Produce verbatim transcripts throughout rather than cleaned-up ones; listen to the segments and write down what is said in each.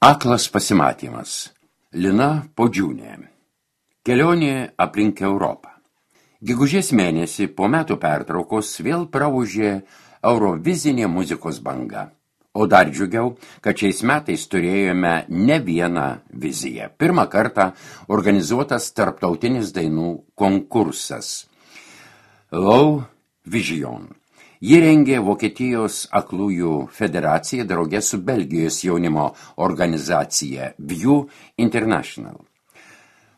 Aklas pasimatymas. Lina Podžiūnė. Kelionė aplink Europą. Gegužės mėnesį po metų pertraukos vėl praūžė eurovizinė muzikos banga. O dar džiugiau, kad šiais metais turėjome ne vieną viziją. Pirmą kartą organizuotas tarptautinis dainų konkursas. Low Vision. Jį rengė Vokietijos aklųjų federacija drauge su Belgijos jaunimo organizacija View International.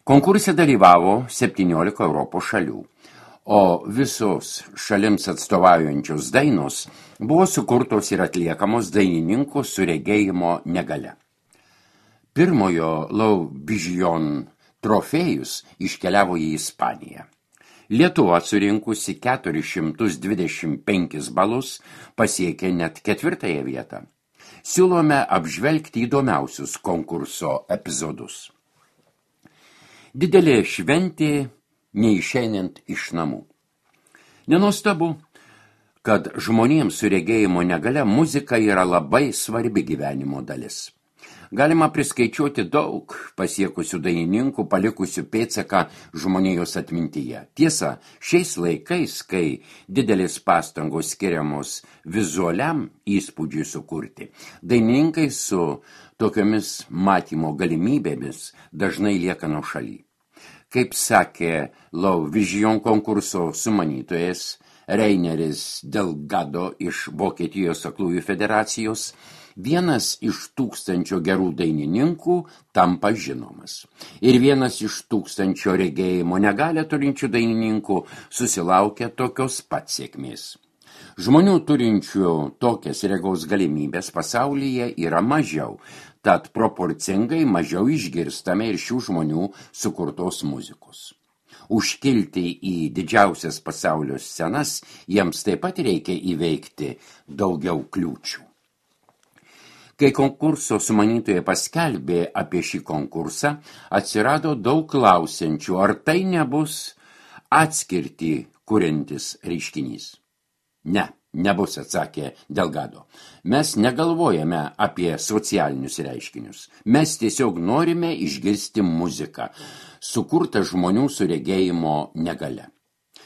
Konkurse dalyvavo septyniolika Europos šalių, o visos šalims atstovaujančios dainos buvo sukurtos ir atliekamos dainininkų su regėjimo negale. Pirmojo Low Vision trofėjus iškeliavo į Ispaniją. Lietuva surinkusi keturis šimtus dvidešimt penkis balus pasiekė net ketvirtąją vietą. Siūlome apžvelgti įdomiausius konkurso epizodus. Didelė šventė neišeinant iš namų. Nenuostabu, kad žmonėms su regėjimo negale muzika yra labai svarbi gyvenimo dalis. Galima priskaičiuoti daug pasiekusių dainininkų, palikusių pėdsaką žmonijos atmintyje. Tiesa, šiais laikais, kai didelės pastangos skiriamos vizualiam įspūdžiui sukurti, dainininkai su tokiomis matymo galimybėmis dažnai lieka nuošaly. Kaip sakė Low Vision konkurso sumanytojas Reineris Delgado iš Vokietijos aklųjų federacijos, vienas iš tūkstančio gerų dainininkų tampa žinomas. Ir vienas iš tūkstančio regėjimo negalią turinčių dainininkų susilaukia tokios pat sėkmės. Žmonių turinčių tokias regos galimybės pasaulyje yra mažiau, tad proporcingai mažiau išgirstame ir šių žmonių sukurtos muzikos. Užkilti į didžiausias pasaulio scenas jiems taip pat reikia įveikti daugiau kliūčių. Kai konkurso sumanytojai paskelbė apie šį konkursą, atsirado daug klausiančių, ar tai nebus atskirtį kuriantis reiškinys. Ne, nebus, atsakė Delgado. Mes negalvojame apie socialinius reiškinius. Mes tiesiog norime išgirsti muziką, sukurtą žmonių su regėjimo negale.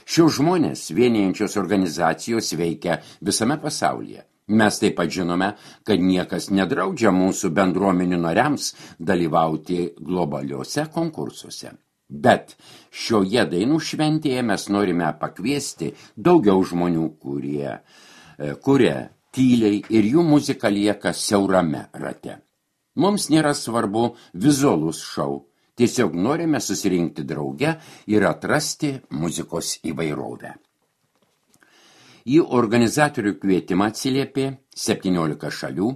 Šios žmonės vienijančios organizacijos veikia visame pasaulyje. Mes taip pat žinome, kad niekas nedraudžia mūsų bendruomenių nariams dalyvauti globaliuose konkursuose. Bet šioje dainų šventėje mes norime pakviesti daugiau žmonių, kurie kuria tyliai ir jų muzika lieka siaurame rate. Mums nėra svarbu vizualus šou, tiesiog norime susirinkti drauge ir atrasti muzikos įvairovę. Į organizatorių kvietimą atsiliepė septyniolika šalių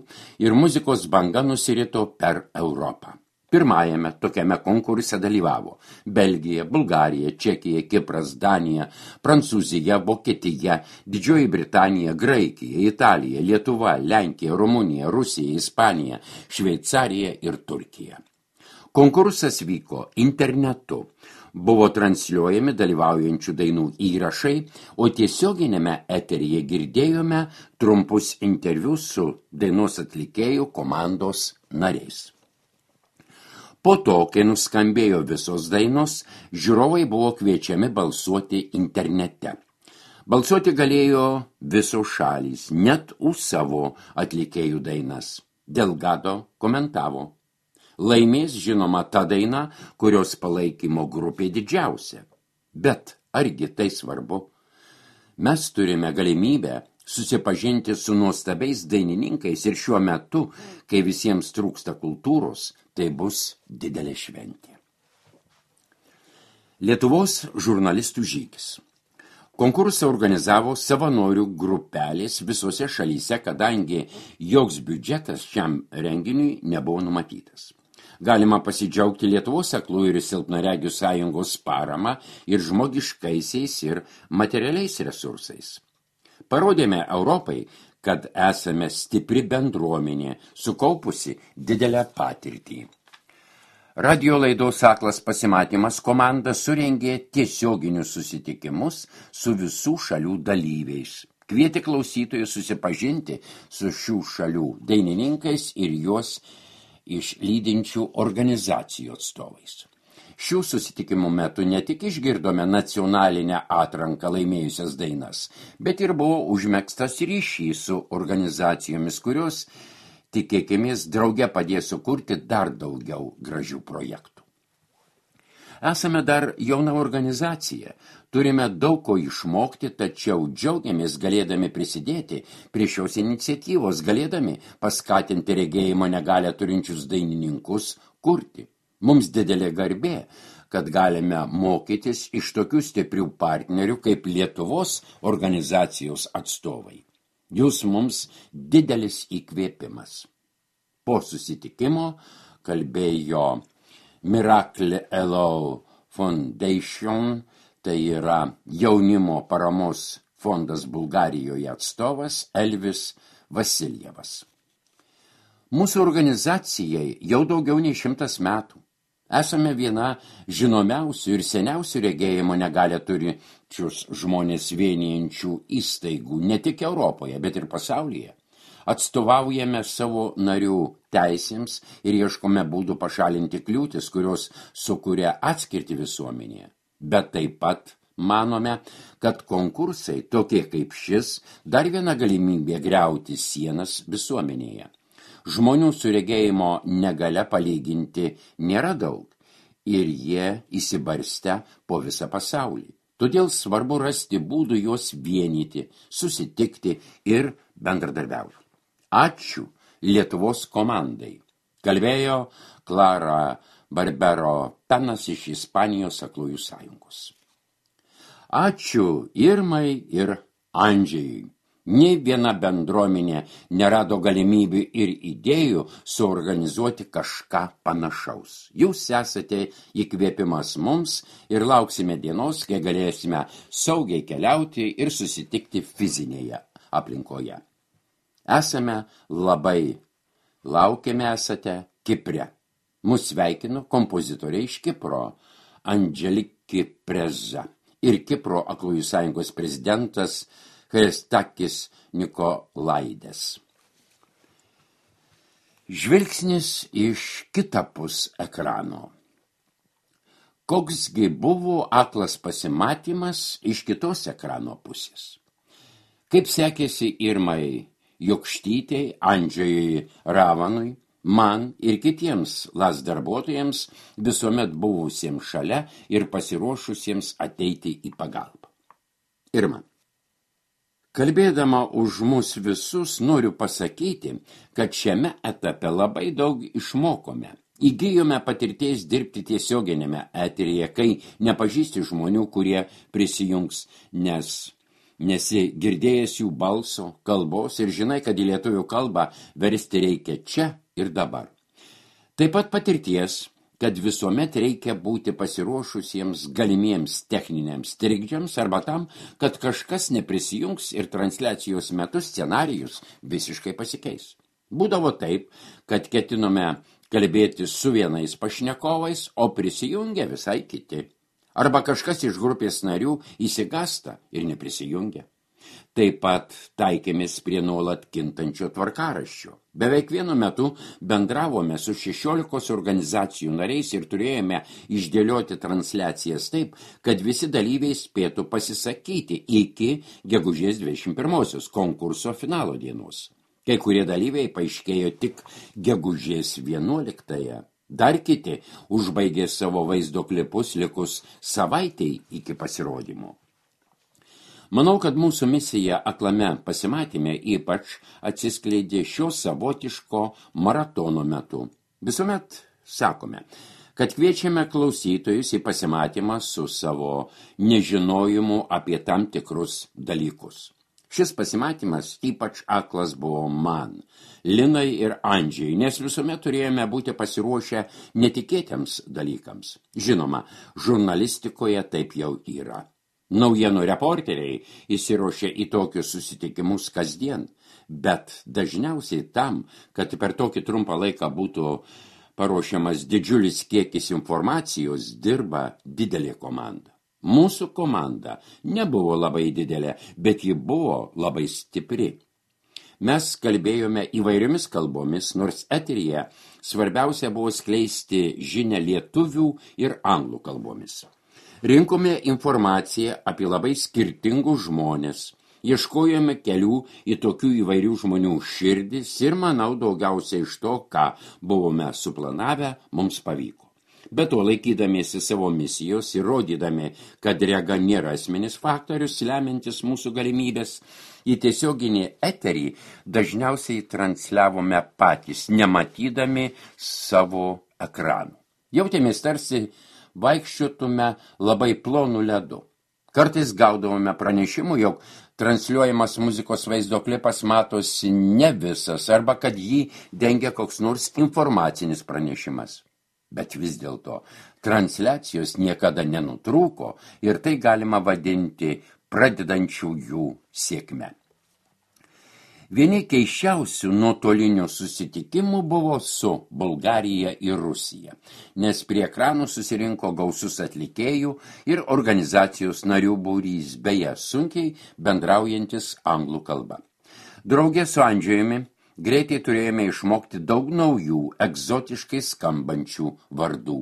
ir muzikos banga nusirito per Europą. Pirmajame tokiame konkurse dalyvavo Belgija, Bulgarija, Čekija, Kipras, Danija, Prancūzija, Vokietija, Didžioji Britanija, Graikija, Italija, Lietuva, Lenkija, Rumunija, Rusija, Ispanija, Šveicarija ir Turkija. Konkursas vyko internetu. Buvo transliuojami dalyvaujančių dainų įrašai, o tiesioginėme eteryje girdėjome trumpus interviu su dainos atlikėjų komandos nariais. Po to, kai nuskambėjo visos dainos, žiūrovai buvo kviečiami balsuoti internete. Balsuoti galėjo visos šalys, net už savo atlikėjų dainas. Delgado komentavo. Laimės žinoma ta daina, kurios palaikymo grupė didžiausia. Bet argi tai svarbu? Mes turime galimybę susipažinti su nuostabiais dainininkais ir šiuo metu, kai visiems trūksta kultūros, tai bus didelė šventė. Lietuvos žurnalistų žygis. Konkursą organizavo savanorių grupelės visose šalyse, kadangi joks biudžetas šiam renginiui nebuvo numatytas. Galima pasidžiaugti Lietuvos aklųjų ir silpnaregių sąjungos parama ir žmogiškaisiais ir materialiais resursais. Parodėme Europai, kad esame stipri bendruomenė, sukaupusi didelę patirtį. Radio laidos Aklas pasimatymas komanda surengė tiesioginius susitikimus su visų šalių dalyviais. Kvietė klausytojus susipažinti su šių šalių dainininkais ir juos iš lydinčių organizacijų atstovais. Šių susitikimų metu ne tik išgirdome nacionalinę atranką laimėjusias dainas, bet ir buvo užmegztas ryšys su organizacijomis, kurios, tikėkimės, drauge padės sukurti dar daugiau gražių projektų. Esame dar jauna organizacija, turime daug ko išmokti, tačiau džiaugiamės galėdami prisidėti prie šios iniciatyvos, galėdami paskatinti regėjimo negalią turinčius dainininkus kurti. Mums didelė garbė, kad galime mokytis iš tokių stiprių partnerių kaip Lietuvos organizacijos atstovai. Jūs mums didelis įkvėpimas. Po susitikimo kalbėjo Miracle L O Foundation, tai yra jaunimo paramos fondas Bulgarijoje atstovas Elvis Vasiljevas. Mūsų organizacijai jau daugiau nei šimtas metų. Esame viena žinomiausių ir seniausių regėjimo negalią turinčius žmonės vienijančių įstaigų ne tik Europoje, bet ir pasaulyje. Atstovaujame savo narių teisėms ir ieškome būdų pašalinti kliūtis, kurios sukuria atskirti visuomenėje. Bet taip pat manome, kad konkursai, tokie kaip šis, dar viena galimybė griauti sienas visuomenėje. Žmonių su regėjimo negalia palyginti nėra daug ir jie įsibarstę po visą pasaulį. Todėl svarbu rasti būdų juos vienyti, susitikti ir bendradarbiauti. Ačiū Lietuvos komandai. Kalbėjo Klara Barbero Penas iš Ispanijos aklųjų sąjungos. Ačiū Irmai ir Andžejui. Nei viena bendruomenė nerado galimybių ir idėjų suorganizuoti kažką panašaus. Jūs esate įkvėpimas mums ir lauksime dienos, kai galėsime saugiai keliauti ir susitikti fizinėje aplinkoje. Esame labai laukiame esate Kipre. Mus sveikino kompozitoriai iš Kipro, Andželiki Preza ir Kipro aklųjų sąjungos prezidentas Christakis Nikolaides. Žvilgsnis iš kitapus ekrano. Koksgi buvo aklas pasimatymas iš kitos ekrano pusės? Kaip sekėsi Irmai Jokštytei, Andžejui Ravanui, man ir kitiems las darbuotojams visuomet buvusiems šalia ir pasiruošusiems ateiti į pagalbą. Irma. Kalbėdama už mus visus, noriu pasakyti, kad šiame etape labai daug išmokome. Įgijome patirties dirbti tiesioginėme eteryje, kai nepažįsti žmonių, kurie prisijungs, nes nesi girdėjęs jų balso, kalbos ir žinai, kad į lietuvių kalbą versti reikia čia ir dabar. Taip pat patirties, kad visuomet reikia būti pasiruošusiems galimiems techniniams trikdžiams arba tam, kad kažkas neprisijungs ir transliacijos metu scenarijus visiškai pasikeis. Būdavo taip, kad ketinome kalbėti su vienais pašnekovais, o prisijungia visai kiti. Arba kažkas iš grupės narių įsigasta ir neprisijungia. Taip pat taikėmės prie nuolat kintančio tvarkaraščio. Beveik vienu metu bendravome su šešiolikos organizacijų nariais ir turėjome išdėlioti transliacijas taip, kad visi dalyviai spėtų pasisakyti iki gegužės dvidešimt pirmosios konkurso finalo dienos. Kai kurie dalyviai paaiškėjo tik gegužės vienuoliktąją. Dar kiti užbaigė savo vaizdo klipus likus savaitei iki pasirodymo. Manau, kad mūsų misija aklame pasimatyme ypač atsiskleidė šio savotiško maratono metu. Visuomet sakome, kad kviečiame klausytojus į pasimatymą su savo nežinojimu apie tam tikrus dalykus. Šis pasimatymas ypač aklas buvo man, Linai ir Andžiai, nes visuomet turėjome būti pasiruošę netikėtiems dalykams. Žinoma, žurnalistikoje taip jau yra. Naujienų reporteriai įsiruošia į tokius susitikimus kasdien, bet dažniausiai tam, kad per tokį trumpą laiką būtų paruošiamas didžiulis kiekis informacijos, dirba didelė komanda. Mūsų komanda nebuvo labai didelė, bet ji buvo labai stipri. Mes kalbėjome įvairiomis kalbomis, nors eteryje svarbiausia buvo skleisti žinią lietuvių ir anglų kalbomis. Rinkome informaciją apie labai skirtingus žmonės, ieškojome kelių į tokių įvairių žmonių širdis ir, manau, daugiausiai iš to, ką buvome suplanavę, mums pavyko. Be to, laikydamiesi savo misijos ir rodydami, kad rega nėra esminis faktorius, lemiantis mūsų galimybės, į tiesioginį eterį dažniausiai transliavome patys, nematydami savo ekranų. Jautėmės tarsi vaikščiotume labai plonų ledu. Kartais gaudavome pranešimų, jog transliuojamas muzikos vaizdo klipas matosi ne visas, arba kad jį dengia koks nors informacinis pranešimas. Bet vis dėlto transliacijos niekada nenutrūko ir tai galima vadinti pradedančiųjų sėkme. Vieni keisčiausių nuotolinių susitikimų buvo su Bulgarija ir Rusija, nes prie ekranų susirinko gausus atlikėjų ir organizacijos narių būrys, beje, sunkiai bendraujantis anglų kalba. Drauge su Andžejumi greitai turėjome išmokti daug naujų, egzotiškai skambančių vardų.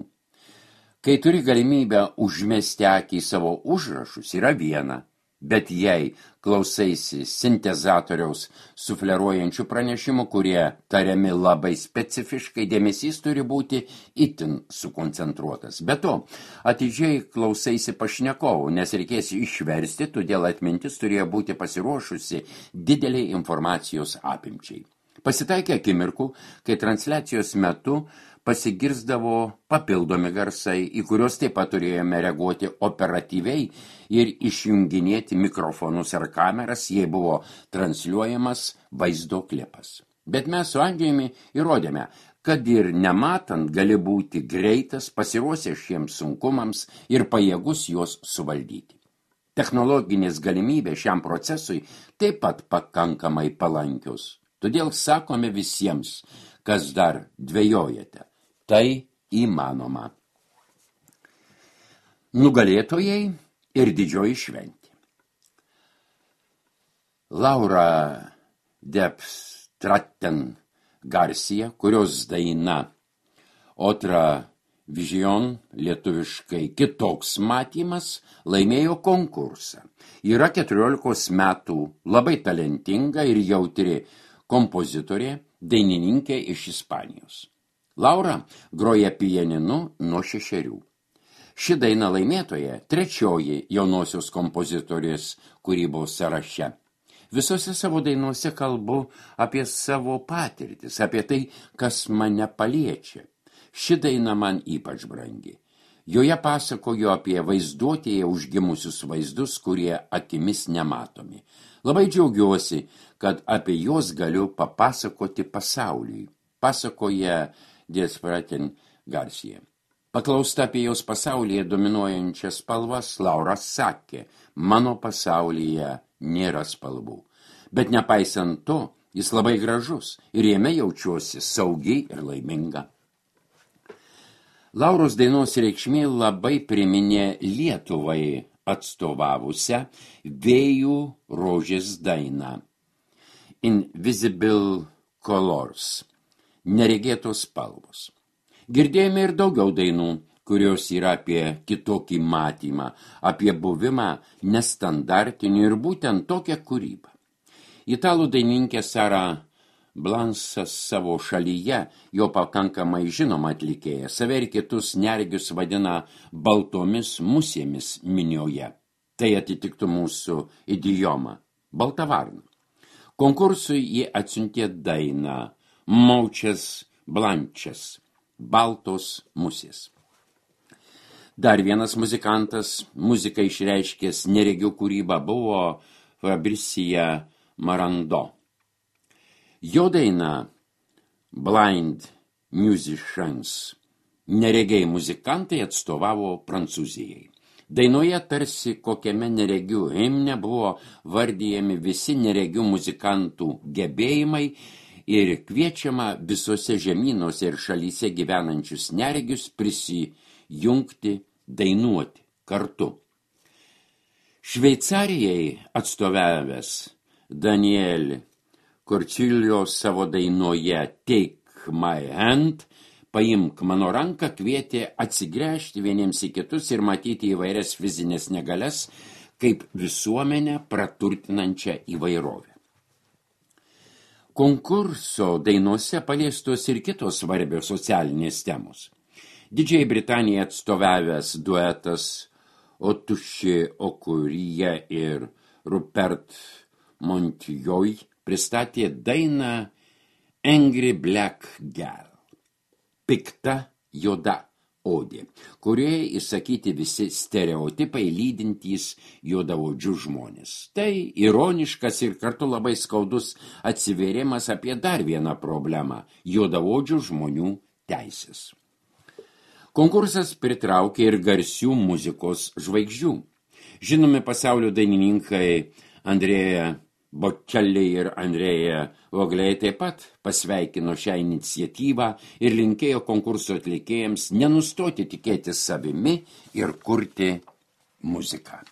Kai turi galimybę užmesti akį į savo užrašus, yra viena, bet jei klausaisi sintezatoriaus sufleruojančių pranešimų, kurie tariami labai specifiškai, dėmesys turi būti itin sukoncentruotas. Be to, atidžiai klausaisi pašnekovų, nes reikės išversti, todėl atmintis turėjo būti pasiruošusi dideliai informacijos apimčiai. Pasitaikė akimirkų, kai transliacijos metu pasigirsdavo papildomi garsai, į kuriuos taip pat turėjome reaguoti operatyviai ir išjunginėti mikrofonus ar kameras, jei buvo transliuojamas vaizdo klipas. Bet mes su Andžejumi įrodėme, kad ir nematant gali būti greitas, pasiruošęs šiems sunkumams ir pajėgus juos suvaldyti. Technologinės galimybės šiam procesui taip pat pakankamai palankius. Todėl sakome visiems, kas dar dvejojate, tai įmanoma. Nugalėtojai ir didžioji šventė. Laura Depstraten Garcia, kurios daina Otra Vision, lietuviškai kitoks matymas, laimėjo konkursą. Yra keturiolikos metų, labai talentinga ir jautri kompozitorė, dainininkė iš Ispanijos. Laura groja pianinu nuo šešerių. Ši daina laimėtoja trečioji jaunosios kompozitorės kūrybos sąraše. Visose savo dainuose kalbu apie savo patirtis, apie tai, kas mane paliečia. Ši daina man ypač brangi. Joje pasakoju apie vaizduotėje užgimusius vaizdus, kurie akimis nematomi. Labai džiaugiuosi, kad apie juos galiu papasakoti pasauliui, pasakoja Depstraten Garcia. Paklausta apie jos pasaulyje dominuojančias spalvas, Laura sakė, mano pasaulyje nėra spalvų. Bet nepaisant to, jis labai gražus ir jame jaučiuosi saugi ir laiminga. Lauros dainos reikšmė labai priminė Lietuvai atstovavusią Vėjų rožės dainą. Invisible Colors, neregėtos spalvos. Girdėjome ir daugiau dainų, kurios yra apie kitokį matymą, apie buvimą nestandartinį ir būtent tokią kūrybą. Italų dainininkė Sara Blansas savo šalyje, jo pakankamai žinoma atlikėja, save ir kitus neregius vadina baltomis musėmis minioje. Tai atitiktų mūsų idiomą – balta varna. Konkursui jį atsiuntė dainą Maučias Blančias – baltos musės. Dar vienas muzikantas, muziką išreiškęs neregių kūrybą, buvo Fabricia Marando. Jo daina Blind Musicians, neregiai muzikantai, atstovavo Prancūzijai. Dainoje tarsi kokiame neregių himne buvo vardijami visi neregių muzikantų gebėjimai ir kviečiama visose žemynuose ir šalyse gyvenančius neregius prisijungti, dainuoti kartu. Šveicarijai atstovavęs Daniel Korčilijos savo dainoje Take My Hand, paimk mano ranką, kvietė atsigręžti vieniems į kitus ir matyti įvairias fizinės negalias kaip visuomenę praturtinančią įvairovę. Konkurso dainose paliestos ir kitos svarbios socialinės temos. Didžiajai Britanijai atstovavęs duetas Otuši Okuryje ir Rupert Montjoy pristatė dainą Angry Black Girl, pikta juoda odė, kurioje įsakyti visi stereotipai lydintys juodaodžių žmonės. Tai ironiškas ir kartu labai skaudus atsivėrimas apie dar vieną problemą – juodaodžių žmonių teisės. Konkursas pritraukė ir garsių muzikos žvaigždžių. Žinomi pasaulio dainininkai Andrea Bocelli ir Andrea Voglei taip pat pasveikino šią iniciatyvą ir linkėjo konkurso atlikėjams nenustoti tikėti savimi ir kurti muziką.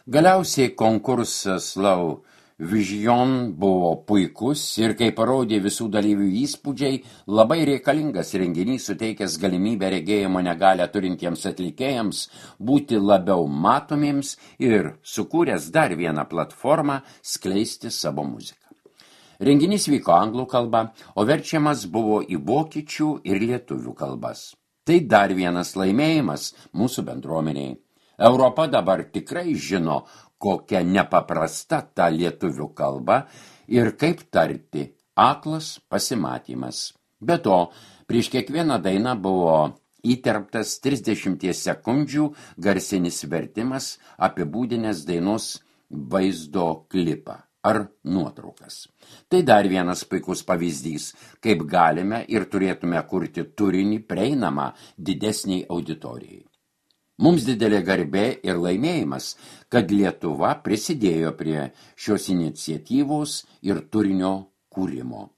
Galiausiai konkursas Slow Vision buvo puikus ir, kai parodė visų dalyvių įspūdžiai, labai reikalingas renginys suteikęs galimybę regėjimo negalią turintiems atlikėjams būti labiau matomiems ir sukūręs dar vieną platformą skleisti savo muziką. Renginys vyko anglų kalba, o verčiamas buvo į vokiečių ir lietuvių kalbas. Tai dar vienas laimėjimas mūsų bendruomeniai. Europa dabar tikrai žino, kokia nepaprasta ta lietuvių kalba ir kaip tarti aklas pasimatymas. Be to, prieš kiekvieną dainą buvo įterptas trisdešimties sekundžių garsinis vertimas apibūdinęs dainos vaizdo klipą ar nuotraukas. Tai dar vienas puikus pavyzdys, kaip galime ir turėtume kurti turinį prieinamą didesniai auditorijai. Mums didelė garbė ir laimėjimas, kad Lietuva prisidėjo prie šios iniciatyvos ir turinio kūrimo.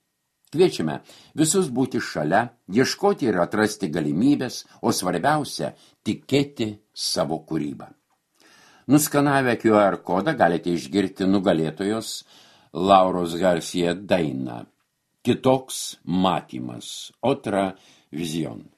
Kviečiame visus būti šalia, ieškoti ir atrasti galimybės, o svarbiausia – tikėti savo kūrybą. Nuskanavę Q R kodą galite išgirti nugalėtojos Lauros Garcia dainą Kitoks matymas, Otra Vision.